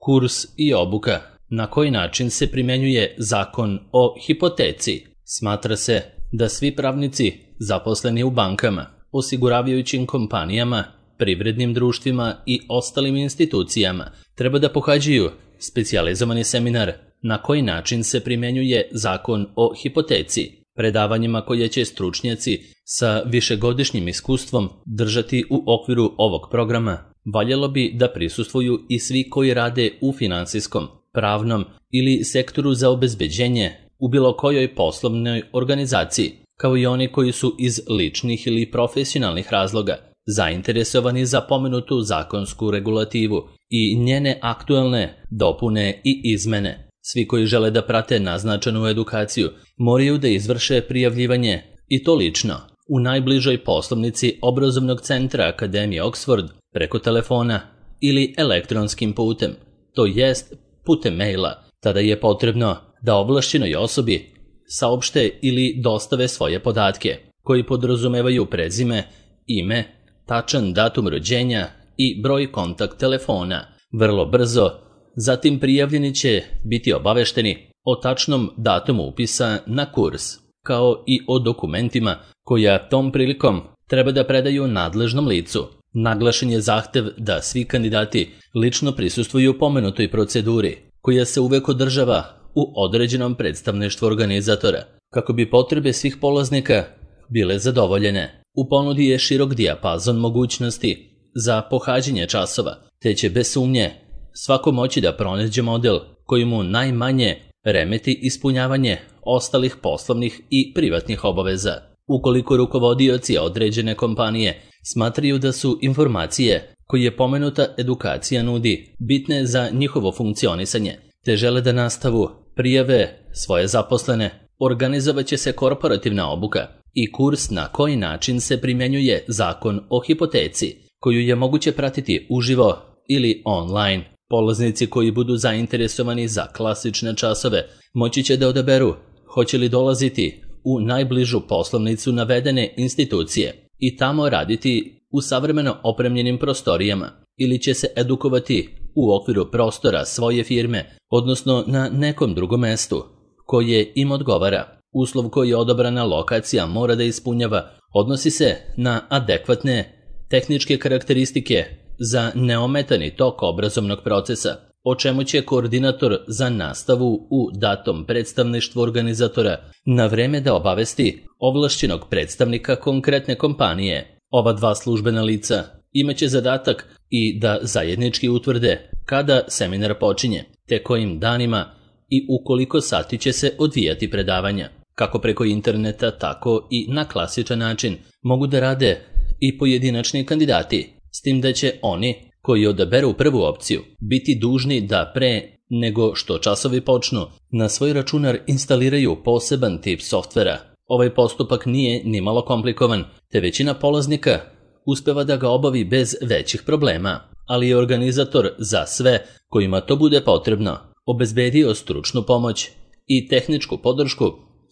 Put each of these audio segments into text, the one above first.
Kurs i obuka. Na koji način se primjenjuje Zakon o hipoteci? Smatra se da svi pravnici zaposleni u bankama, osiguravajućim kompanijama, privrednim društvima i ostalim institucijama treba da pohađaju specijalizovani seminar na koji način se primjenjuje Zakon o hipoteci, predavanjima koje će stručnjaci sa višegodišnjim iskustvom držati u okviru ovog programa. Valjalo bi da prisustvuju i svi koji rade u finansijskom, pravnom ili sektoru za obezbeđenje u bilo kojoj poslovnoj organizaciji, kao i oni koji su iz ličnih ili profesionalnih razloga zainteresovani za pomenutu zakonsku regulativu i njene aktuelne dopune i izmene. Svi koji žele da prate naznačenu edukaciju moraju da izvrše prijavljivanje, i to lično, u najbližoj poslovnici obrazovnog centra Akademije Oxford preko telefona ili elektronskim putem, to jest putem maila. Tada je potrebno da ovlašćenoj osobi saopšte ili dostave svoje podatke, koji podrazumevaju prezime, ime, tačan datum rođenja i broj kontakt telefona. Vrlo brzo, zatim prijavljeni će biti obavešteni o tačnom datumu upisa na kurs, kao i o dokumentima koja tom prilikom treba da predaju nadležnom licu. Naglašen je zahtev da svi kandidati lično prisustvuju pomenutoj proceduri, koja se uvek održava u određenom predstavništvu organizatora, kako bi potrebe svih polaznika bile zadovoljene. U ponudi je širok dijapazon mogućnosti za pohađanje časova, te će bez sumnje svako moći da pronađe model koji mu najmanje remeti ispunjavanje ostalih poslovnih i privatnih obaveza. Ukoliko rukovodioci određene kompanije smatraju da su informacije koje pomenuta edukacija nudi bitne za njihovo funkcionisanje, te žele da nastavu prijave svoje zaposlene, organizovaće se korporativna obuka i kurs na koji način se primjenjuje Zakon o hipoteci, koju je moguće pratiti uživo ili online. Polaznici koji budu zainteresovani za klasične časove moći će da odaberu hoće li dolaziti u najbližu poslovnicu navedene institucije i tamo raditi u savremeno opremljenim prostorijama, ili će se edukovati u okviru prostora svoje firme, odnosno na nekom drugom mestu koje im odgovara. Uslov koji je odabrana lokacija mora da ispunjava odnosi se na adekvatne tehničke karakteristike za neometani tok obrazovnog procesa, o čemu će koordinator za nastavu u datom predstavništvu organizatora na vreme da obavesti ovlašćenog predstavnika konkretne kompanije. Ova dva službena lica imaće zadatak i da zajednički utvrde kada seminar počinje, te kojim danima i u koliko sati će se odvijati predavanja. Kako preko interneta, tako i na klasičan način mogu da rade i pojedinačni kandidati, s tim da će oni koji odaberu prvu opciju biti dužni da pre nego što časovi počnu na svoj računar instaliraju poseban tip softvera. Ovaj postupak nije ni malo komplikovan, te većina polaznika uspeva da ga obavi bez većih problema, ali je organizator za sve kojima to bude potrebno obezbedio stručnu pomoć i tehničku podršku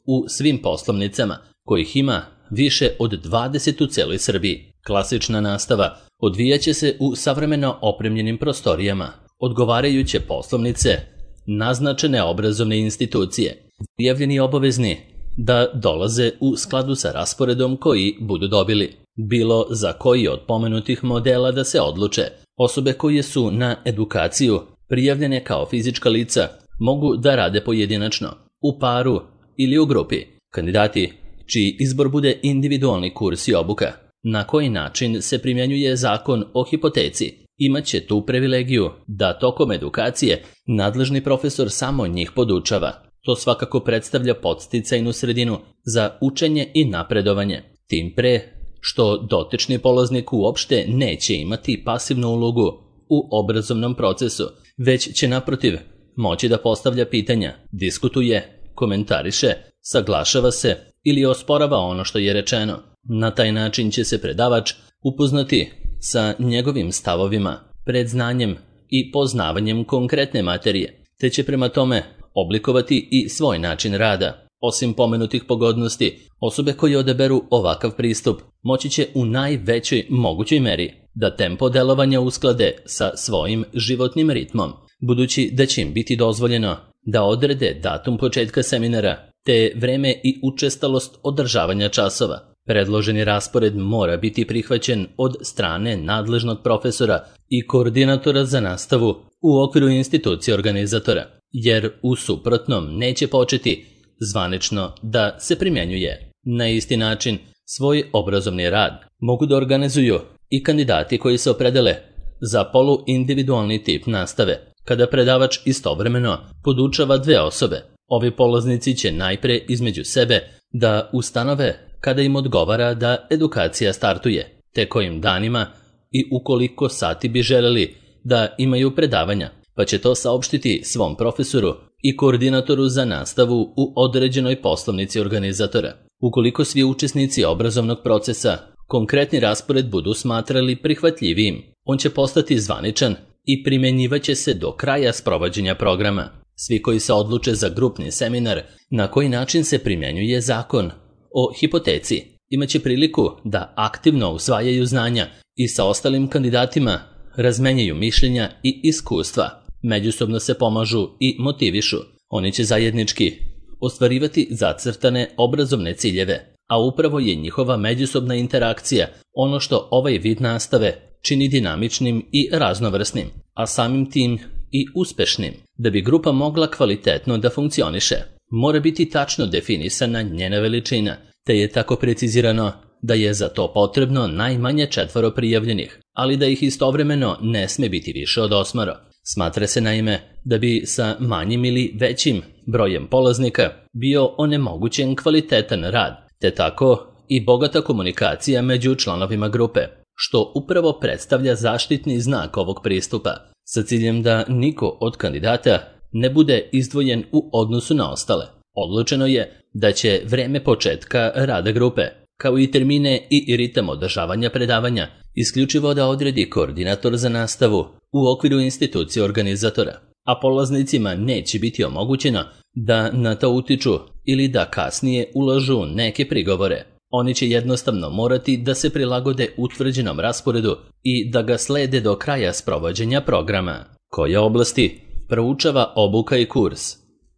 u svim poslovnicama, kojih ima više od 20 u celoj Srbiji. Klasična nastava odvijaće se u savremeno opremljenim prostorijama, odgovarajuće poslovnice, naznačene obrazovne institucije. Prijavljeni obavezni da dolaze u skladu sa rasporedom koji budu dobili. Bilo za koji od pomenutih modela da se odluče. Osobe koje su na edukaciju prijavljene kao fizička lica mogu da rade pojedinačno, u paru ili u grupi. Kandidati čiji izbor bude individualni kurs i obuka, na koji način se primjenjuje Zakon o hipoteci, imaće tu privilegiju da tokom edukacije nadležni profesor samo njih podučava. To svakako predstavlja podsticajnu sredinu za učenje i napredovanje, tim pre što dotični polaznik uopšte neće imati pasivnu ulogu u obrazovnom procesu, već će naprotiv moći da postavlja pitanja, diskutuje, komentariše, saglašava se ili osporava ono što je rečeno. Na taj način će se predavač upoznati sa njegovim stavovima, predznanjem i poznavanjem konkretne materije, te će prema tome oblikovati i svoj način rada. Osim pomenutih pogodnosti, osobe koje odaberu ovakav pristup moći će u najvećoj mogućoj meri da tempo delovanja usklade sa svojim životnim ritmom, budući da će im biti dozvoljeno da odrede datum početka seminara te vreme i učestalost održavanja časova. Predloženi raspored mora biti prihvaćen od strane nadležnog profesora i koordinatora za nastavu u okviru institucije organizatora, jer u suprotnom neće početi zvanično da se primjenjuje. Na isti način svoj obrazovni rad mogu da organizuju i kandidati koji se opredele za poluindividualni tip nastave, kada predavač istovremeno podučava 2 osobe. Ovi polaznici će najpre između sebe da ustanove kada im odgovara da edukacija startuje, te kojim danima i ukoliko sati bi želeli da imaju predavanja, pa će to saopštiti svom profesoru i koordinatoru za nastavu u određenoj poslovnici organizatora. Ukoliko svi učesnici obrazovnog procesa konkretni raspored budu smatrali prihvatljivijim, on će postati zvaničan i primjenjivaće se do kraja sprovođenja programa. Svi koji se odluče za grupni seminar na koji način se primjenjuje zakon o hipoteci imaće priliku da aktivno usvajaju znanja i sa ostalim kandidatima razmenjaju mišljenja i iskustva, međusobno se pomažu i motivišu. Oni će zajednički ostvarivati zacrtane obrazovne ciljeve, a upravo je njihova međusobna interakcija ono što ovaj vid nastave čini dinamičnim i raznovrsnim, a samim tim i uspešnim. Da bi grupa mogla kvalitetno da funkcioniše, mora biti tačno definisana njena veličina, te je tako precizirano da je za to potrebno najmanje 4 prijavljenih, ali da ih istovremeno ne sme biti više od 8. Smatra se naime da bi sa manjim ili većim brojem polaznika bio onemogućen kvalitetan rad, te tako i bogata komunikacija među članovima grupe, što upravo predstavlja zaštitni znak ovog pristupa, sa ciljem da niko od kandidata ne bude izdvojen u odnosu na ostale. Odlučeno je da će vreme početka rada grupe, kao i termine i ritam održavanja predavanja, isključivo da odredi koordinator za nastavu u okviru institucije organizatora, a polaznicima neće biti omogućeno da na to utiču ili da kasnije ulažu neke prigovore. Oni će jednostavno morati da se prilagode utvrđenom rasporedu i da ga slede do kraja sprovođenja programa. Koje oblasti proučava obuka i kurs?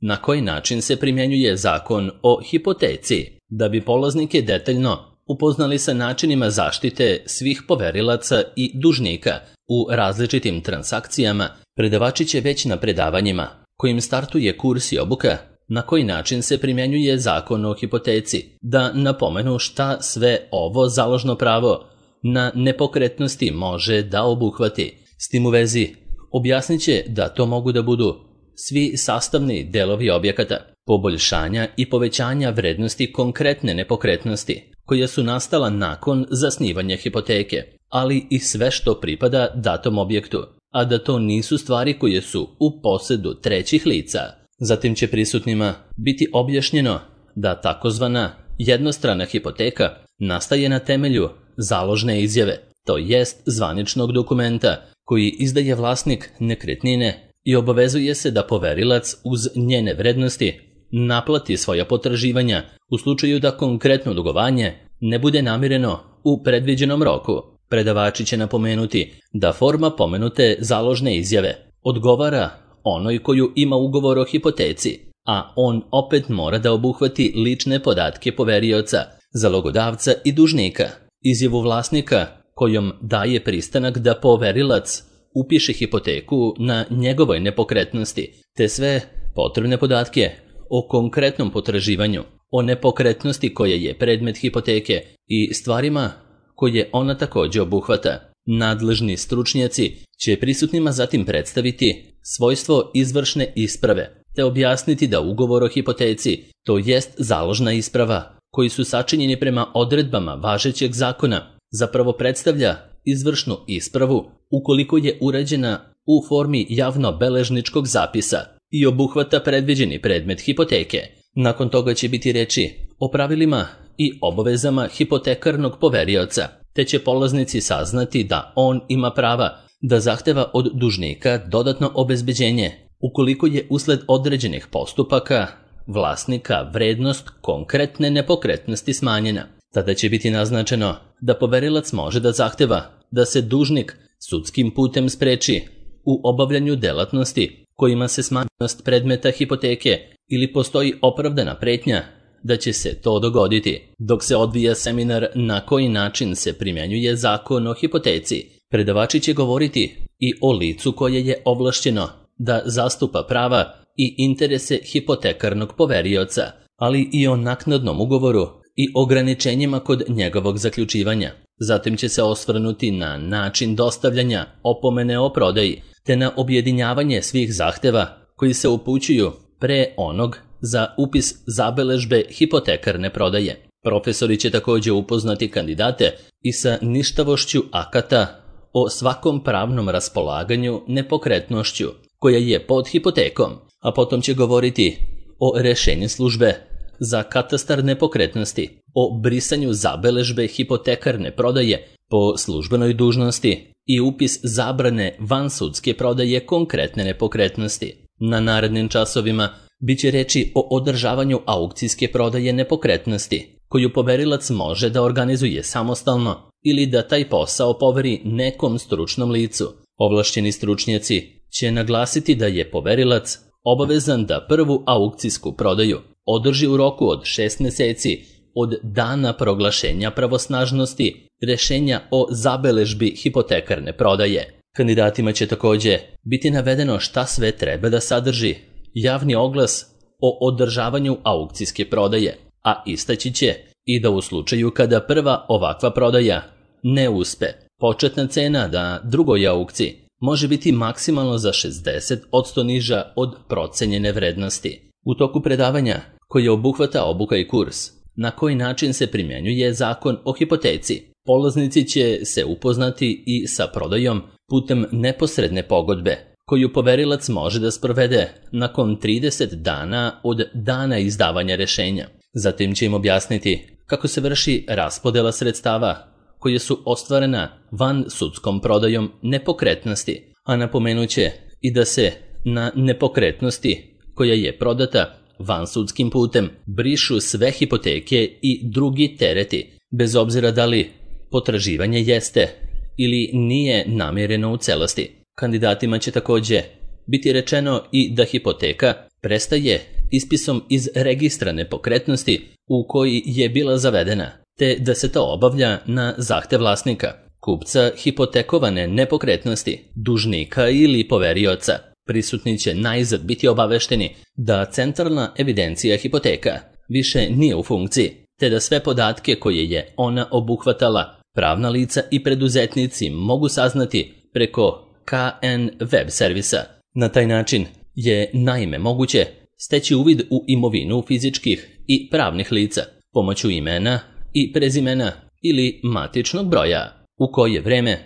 Na koji način se primjenjuje zakon o hipoteci? Da bi polaznike detaljno upoznali sa načinima zaštite svih poverilaca i dužnika u različitim transakcijama, predavači će već na predavanjima kojim startuje kurs i obuka na koji način se primjenjuje zakon o hipoteci, da napomenu šta sve ovo založno pravo na nepokretnosti može da obuhvati. S tim u vezi objasnit će da to mogu da budu svi sastavni delovi objekata, poboljšanja i povećanja vrednosti konkretne nepokretnosti koja su nastala nakon zasnivanja hipoteke, ali i sve što pripada datom objektu, a da to nisu stvari koje su u posedu trećih lica. Zatim će prisutnima biti objašnjeno da takozvana jednostrana hipoteka nastaje na temelju založne izjave, to jest zvaničnog dokumenta koji izdaje vlasnik nekretnine i obavezuje se da poverilac uz njene vrednosti naplati svoja potraživanja u slučaju da konkretno dugovanje ne bude namireno u predviđenom roku. Predavači će napomenuti da forma pomenute založne izjave odgovara onoj koju ima ugovor o hipoteci, a on opet mora da obuhvati lične podatke poverioca, zalogodavca i dužnika, izjavu vlasnika kojom daje pristanak da poverilac upiše hipoteku na njegovoj nepokretnosti, te sve potrebne podatke o konkretnom potraživanju, o nepokretnosti koja je predmet hipoteke i stvarima koje ona također obuhvata. Nadležni stručnjaci će prisutnima zatim predstaviti svojstvo izvršne isprave, te objasniti da ugovor o hipoteci, to jest založna isprava, koji su sačinjeni prema odredbama važećeg zakona, zapravo predstavlja izvršnu ispravu ukoliko je urađena u formi javno-beležničkog zapisa i obuhvata predviđeni predmet hipoteke. Nakon toga će biti reči o pravilima i obavezama hipotekarnog poverioca, te će polaznici saznati da on ima prava da zahteva od dužnika dodatno obezbeđenje ukoliko je usled određenih postupaka vlasnika vrednost konkretne nepokretnosti smanjena. Tada će biti naznačeno da poverilac može da zahteva da se dužnik sudskim putem spreči u obavljanju delatnosti kojima se smanjenost predmeta hipoteke ili postoji opravdana pretnja da će se to dogoditi. Dok se odvija seminar na koji način se primjenjuje zakon o hipoteci, predavači će govoriti i o licu koje je ovlašćeno da zastupa prava i interese hipotekarnog poverioca, ali i o naknadnom ugovoru i ograničenjima kod njegovog zaključivanja. Zatim će se osvrnuti na način dostavljanja opomene o prodaji, te na objedinjavanje svih zahteva koji se upućuju pre onog za upis zabeležbe hipotekarne prodaje. Profesori će također upoznati kandidate i sa ništavošću akata o svakom pravnom raspolaganju nepokretnošću koja je pod hipotekom, a potom će govoriti o rješenju službe za katastar nepokretnosti, o brisanju zabeležbe hipotekarne prodaje po službenoj dužnosti i upis zabrane vansudske prodaje konkretne nepokretnosti. Na narednim časovima bit će reči o održavanju aukcijske prodaje nepokretnosti, koju poverilac može da organizuje samostalno ili da taj posao poveri nekom stručnom licu. Ovlašćeni stručnjaci će naglasiti da je poverilac obavezan da prvu aukcijsku prodaju održi u roku od 6 mjeseci od dana proglašenja pravosnažnosti rješenja o zabeležbi hipotekarne prodaje. Kandidatima će također biti navedeno šta sve treba da sadrži javni oglas o održavanju aukcijske prodaje, a istaći će i da u slučaju kada prva ovakva prodaja ne uspe, početna cena na drugoj aukciji može biti maksimalno za 60% niža od procenjene vrednosti. U toku predavanja, koje obuhvata obuka i kurs, na koji način se primjenjuje zakon o hipoteci, polaznici će se upoznati i sa prodajom putem neposredne pogodbe, koju poverilac može da sprovede nakon 30 dana od dana izdavanja rješenja. Zatim će im objasniti kako se vrši raspodela sredstava koje su ostvarena van sudskom prodajom nepokretnosti, a napomenut će i da se na nepokretnosti koja je prodata vansudskim putem brišu sve hipoteke i drugi tereti, bez obzira da li potraživanje jeste ili nije namireno u celosti. Kandidatima će također biti rečeno i da hipoteka prestaje ispisom iz registra nepokretnosti u koji je bila zavedena, te da se to obavlja na zahtev vlasnika, kupca hipotekovane nepokretnosti, dužnika ili poverioca. Prisutni će najzad biti obavešteni da centralna evidencija hipoteka više nije u funkciji, te da sve podatke koje je ona obuhvatala pravna lica i preduzetnici mogu saznati preko KN web servisa. Na taj način je naime moguće steći uvid u imovinu fizičkih i pravnih lica pomoću imena i prezimena ili matičnog broja, u koje vreme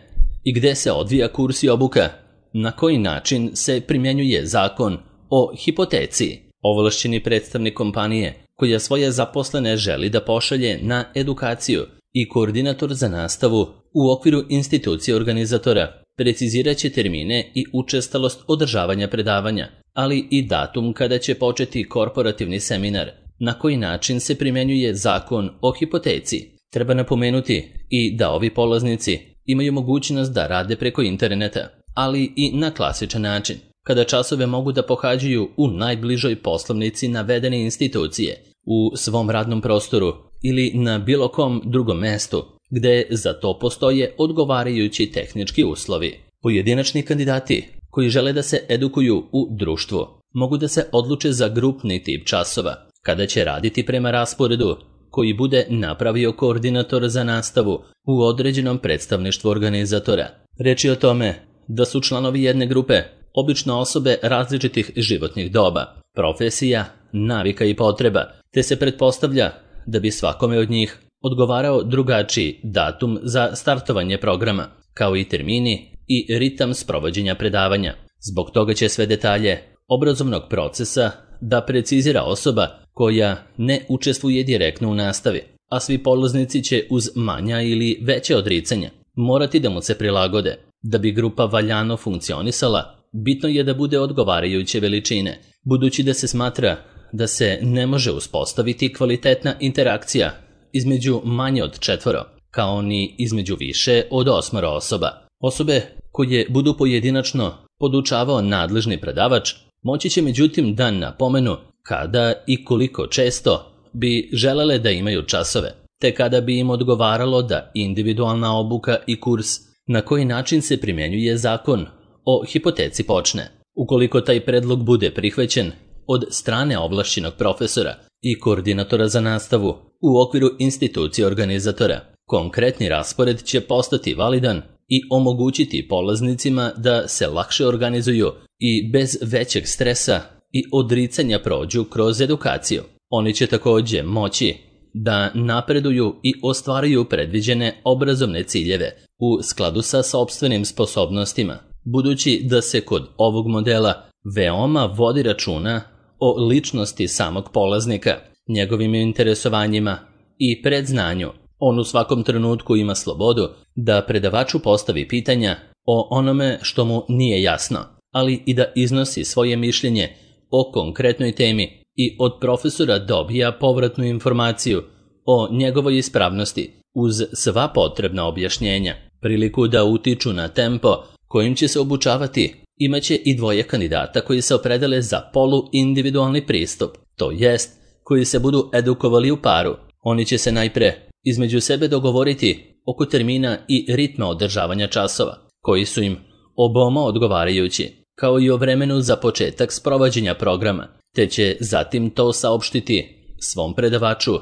i gde se odvija kurs i obuka, na koji način se primjenjuje zakon o hipoteci. Ovlašćeni predstavnik kompanije koja svoje zaposlene želi da pošalje na edukaciju i koordinator za nastavu u okviru institucije organizatora precizirat će termine i učestalost održavanja predavanja, ali i datum kada će početi korporativni seminar, na koji način se primjenjuje zakon o hipoteci. Treba napomenuti i da ovi polaznici imaju mogućnost da rade preko interneta, ali i na klasičan način, kada časove mogu da pohađaju u najbližoj poslovnici navedene institucije, u svom radnom prostoru ili na bilo kom drugom mestu, gde za to postoje odgovarajući tehnički uslovi. Pojedinačni kandidati koji žele da se edukuju u društvu mogu da se odluče za grupni tip časova, kada će raditi prema rasporedu koji bude napravio koordinator za nastavu u određenom predstavništvu organizatora. Reč je o tome da su članovi jedne grupe obično osobe različitih životnih doba, profesija, navika i potreba, te se pretpostavlja da bi svakome od njih odgovarao drugačiji datum za startovanje programa, kao i termini i ritam sprovođenja predavanja. Zbog toga će sve detalje obrazovnog procesa da precizira osoba koja ne učestvuje direktno u nastavi, a svi polaznici će uz manja ili veće odricanja morati da mu se prilagode. Da bi grupa valjano funkcionisala, bitno je da bude odgovarajuće veličine, budući da se smatra da se ne može uspostaviti kvalitetna interakcija između manje od 4, kao ni između više od 8 osoba. Osobe koje budu pojedinačno podučavao nadležni predavač, moći će međutim da napomenu kada i koliko često bi želele da imaju časove, te kada bi im odgovaralo da individualna obuka i kurs na koji način se primjenjuje zakon o hipoteci počne. Ukoliko taj predlog bude prihvaćen od strane ovlašćenog profesora i koordinatora za nastavu u okviru institucije organizatora, konkretni raspored će postati validan i omogućiti polaznicima da se lakše organizuju i bez većeg stresa i odricanja prođu kroz edukaciju. Oni će također moći da napreduju i ostvaruju predviđene obrazovne ciljeve u skladu sa sopstvenim sposobnostima, budući da se kod ovog modela veoma vodi računa o ličnosti samog polaznika, njegovim interesovanjima i predznanju. On u svakom trenutku ima slobodu da predavaču postavi pitanja o onome što mu nije jasno, ali i da iznosi svoje mišljenje o konkretnoj temi i od profesora dobija povratnu informaciju o njegovoj ispravnosti uz sva potrebna objašnjenja. Priliku da utiču na tempo kojim će se obučavati imaće i dvoje kandidata koji se opredele za poluindividualni pristup, to jest koji se budu edukovali u paru. Oni će se najpre između sebe dogovoriti oko termina i ritma održavanja časova, koji su im oboma odgovarajući, kao i o vremenu za početak sprovođenja programa, te će zatim to saopštiti svom predavaču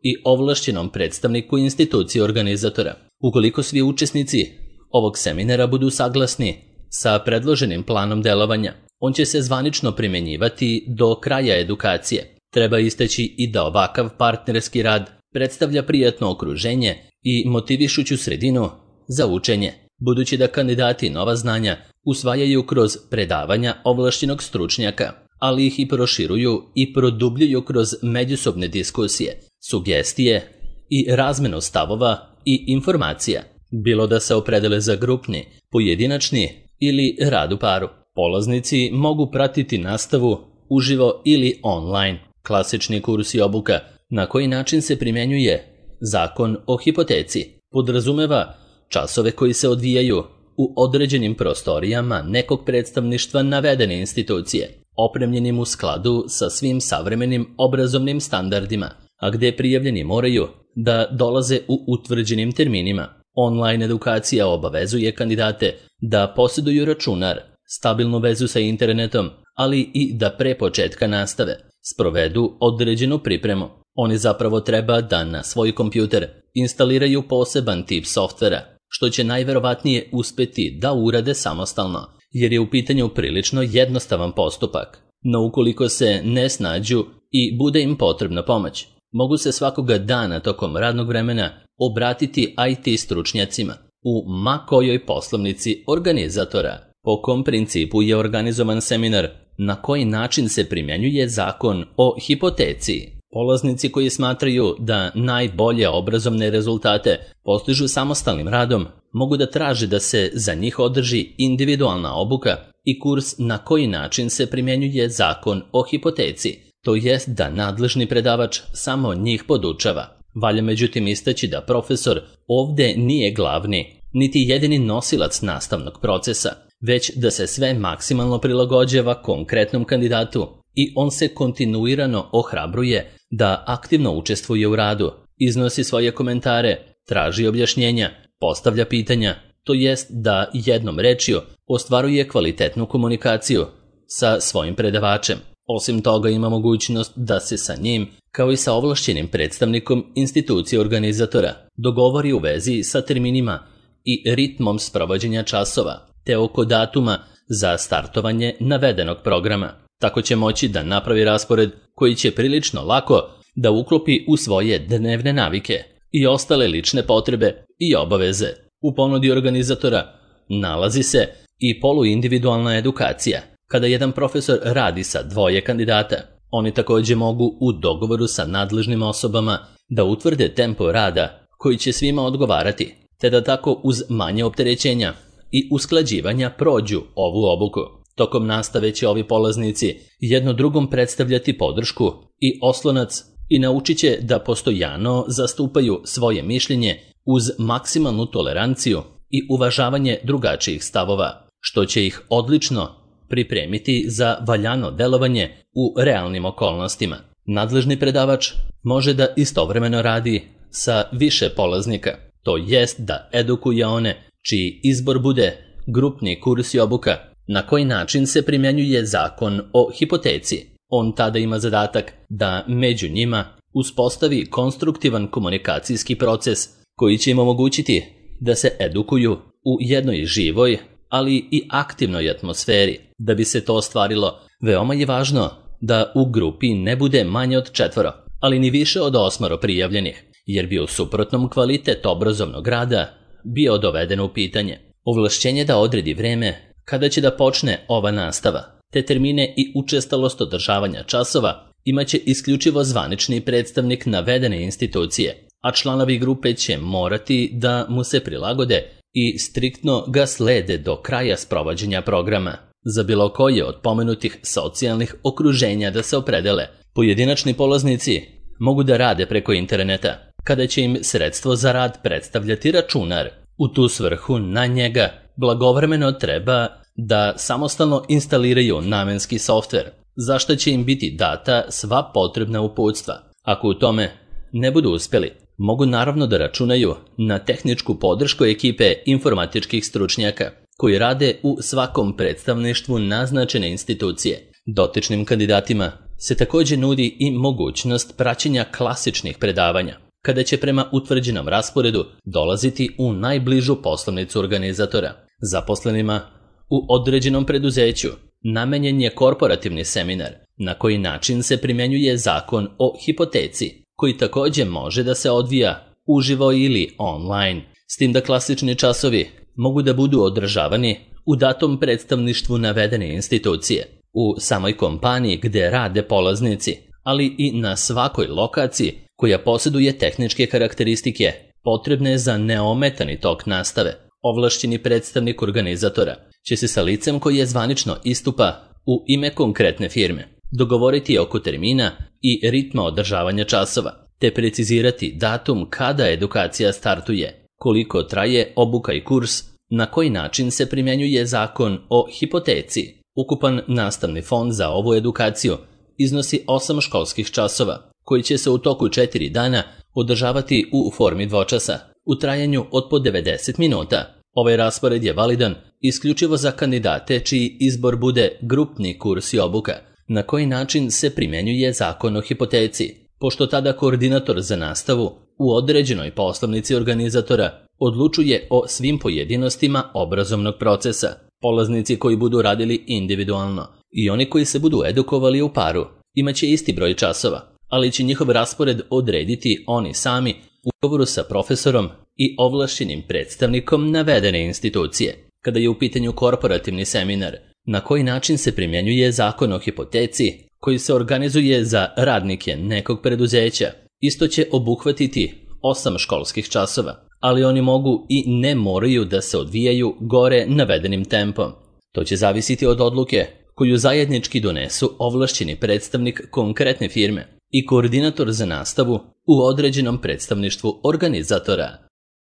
i ovlašćenom predstavniku institucije organizatora. Ukoliko svi učesnici ovog seminara budu saglasni sa predloženim planom delovanja, on će se zvanično primjenjivati do kraja edukacije. Treba istaći i da ovakav partnerski rad predstavlja prijatno okruženje i motivišuću sredinu za učenje, budući da kandidati nova znanja usvajaju kroz predavanja ovlašćenog stručnjaka, ali ih i proširuju i produbljuju kroz međusobne diskusije, sugestije i razmenu stavova i informacija, bilo da se opredele za grupni, pojedinačni ili rad u paru. Polaznici mogu pratiti nastavu uživo ili online. Klasični kurs i obuka na koji način se primjenjuje zakon o hipoteci podrazumeva časove koji se odvijaju u određenim prostorijama nekog predstavništva navedene institucije, opremljenim u skladu sa svim savremenim obrazovnim standardima, a gdje prijavljeni moraju da dolaze u utvrđenim terminima. Online edukacija obavezuje kandidate da posjeduju računar, stabilnu vezu sa internetom, ali i da pre početka nastave sprovedu određenu pripremu. Oni zapravo treba da na svoj kompjuter instaliraju poseban tip softvera, što će najverovatnije uspeti da urade samostalno, jer je u pitanju prilično jednostavan postupak. No ukoliko se ne snađu i bude im potrebna pomoć, mogu se svakoga dana tokom radnog vremena obratiti IT stručnjacima u ma kojoj poslovnici organizatora. Po kom principu je organizovan seminar, na koji način se primjenjuje zakon o hipoteci. Polaznici koji smatraju da najbolje obrazovne rezultate postižu samostalnim radom, mogu da traže da se za njih održi individualna obuka i kurs na koji način se primjenjuje zakon o hipoteci, to jest da nadležni predavač samo njih podučava. Valja međutim istaći da profesor ovdje nije glavni, niti jedini nosilac nastavnog procesa, već da se sve maksimalno prilagođava konkretnom kandidatu i on se kontinuirano ohrabruje da aktivno učestvuje u radu, iznosi svoje komentare, traži objašnjenja, postavlja pitanja, to jest da jednom rečju ostvaruje kvalitetnu komunikaciju sa svojim predavačem. Osim toga ima mogućnost da se sa njim, kao i sa ovlašćenim predstavnikom institucije organizatora, dogovori u vezi sa terminima i ritmom sprovođenja časova, te oko datuma za startovanje navedenog programa. Tako će moći da napravi raspored koji će prilično lako da uklopi u svoje dnevne navike i ostale lične potrebe i obaveze. U ponudi organizatora nalazi se i poluindividualna edukacija, kada jedan profesor radi sa dvoje kandidata. Oni također mogu u dogovoru sa nadležnim osobama da utvrde tempo rada koji će svima odgovarati, te da tako uz manje opterećenja i usklađivanja prođu ovu obuku. Tokom nastave će ovi polaznici jedno drugom predstavljati podršku i oslonac i naučit će da postojano zastupaju svoje mišljenje uz maksimalnu toleranciju i uvažavanje drugačijih stavova. što će ih odlično pripremiti za valjano delovanje u realnim okolnostima. Nadležni predavač može da istovremeno radi sa više polaznika, to jest da edukuje one čiji izbor bude grupni kurs i obuka, na koji način se primjenjuje zakon o hipoteci. On tada ima zadatak da među njima uspostavi konstruktivan komunikacijski proces koji će im omogućiti da se edukuju u jednoj živoj, ali i aktivnoj atmosferi. Da bi se to ostvarilo, veoma je važno da u grupi ne bude manje od 4, ali ni više od 8 prijavljenih, jer bi u suprotnom kvalitet obrazovnog rada bio doveden u pitanje. Ovlašćenje da odredi vreme kada će da počne ova nastava, te termine i učestalost održavanja časova imaće isključivo zvanični predstavnik navedene institucije, a članovi grupe će morati da mu se prilagode i striktno ga slede do kraja sprovođenja programa. Za bilo koje od pomenutih socijalnih okruženja da se opredele, pojedinačni polaznici mogu da rade preko interneta, kada će im sredstvo za rad predstavljati računar. U tu svrhu na njega blagovremeno treba da samostalno instaliraju namenski softver, za što će im biti data sva potrebna uputstva. Ako u tome ne budu uspjeli, mogu naravno da računaju na tehničku podršku ekipe informatičkih stručnjaka koji rade u svakom predstavništvu naznačene institucije. Dotičnim kandidatima se također nudi i mogućnost praćenja klasičnih predavanja, kada će prema utvrđenom rasporedu dolaziti u najbližu poslovnicu organizatora. Zaposlenima u određenom preduzeću namenjen je korporativni seminar na koji način se primjenjuje zakon o hipoteci, koji također može da se odvija uživo ili online, s tim da klasični časovi mogu da budu održavani u datom predstavništvu navedene institucije, u samoj kompaniji gdje rade polaznici, ali i na svakoj lokaciji koja posjeduje tehničke karakteristike potrebne za neometani tok nastave. Ovlašćeni predstavnik organizatora će se sa licem koji je zvanično istupa u ime konkretne firme dogovoriti oko termina i ritma održavanja časova, te precizirati datum kada edukacija startuje, koliko traje obuka i kurs, na koji način se primjenjuje zakon o hipoteci. Ukupan nastavni fond za ovu edukaciju iznosi 8 školskih časova, koji će se u toku 4 dana održavati u formi dvočasa, u trajanju od po 90 minuta. Ovaj raspored je validan isključivo za kandidate čiji izbor bude grupni kurs i obuka, na koji način se primjenjuje zakon o hipoteci, pošto tada koordinator za nastavu u određenoj poslovnici organizatora odlučuje o svim pojedinostima obrazovnog procesa. Polaznici koji budu radili individualno i oni koji se budu edukovali u paru imaće isti broj časova, ali će njihov raspored odrediti oni sami u ugovoru sa profesorom i ovlašćenim predstavnikom navedene institucije. Kada je u pitanju korporativni seminar, na koji način se primjenjuje zakon o hipoteci koji se organizuje za radnike nekog preduzeća, isto će obuhvatiti 8 školskih časova, ali oni mogu i ne moraju da se odvijaju gore navedenim tempom. To će zavisiti od odluke koju zajednički donesu ovlašćeni predstavnik konkretne firme i koordinator za nastavu u određenom predstavništvu organizatora.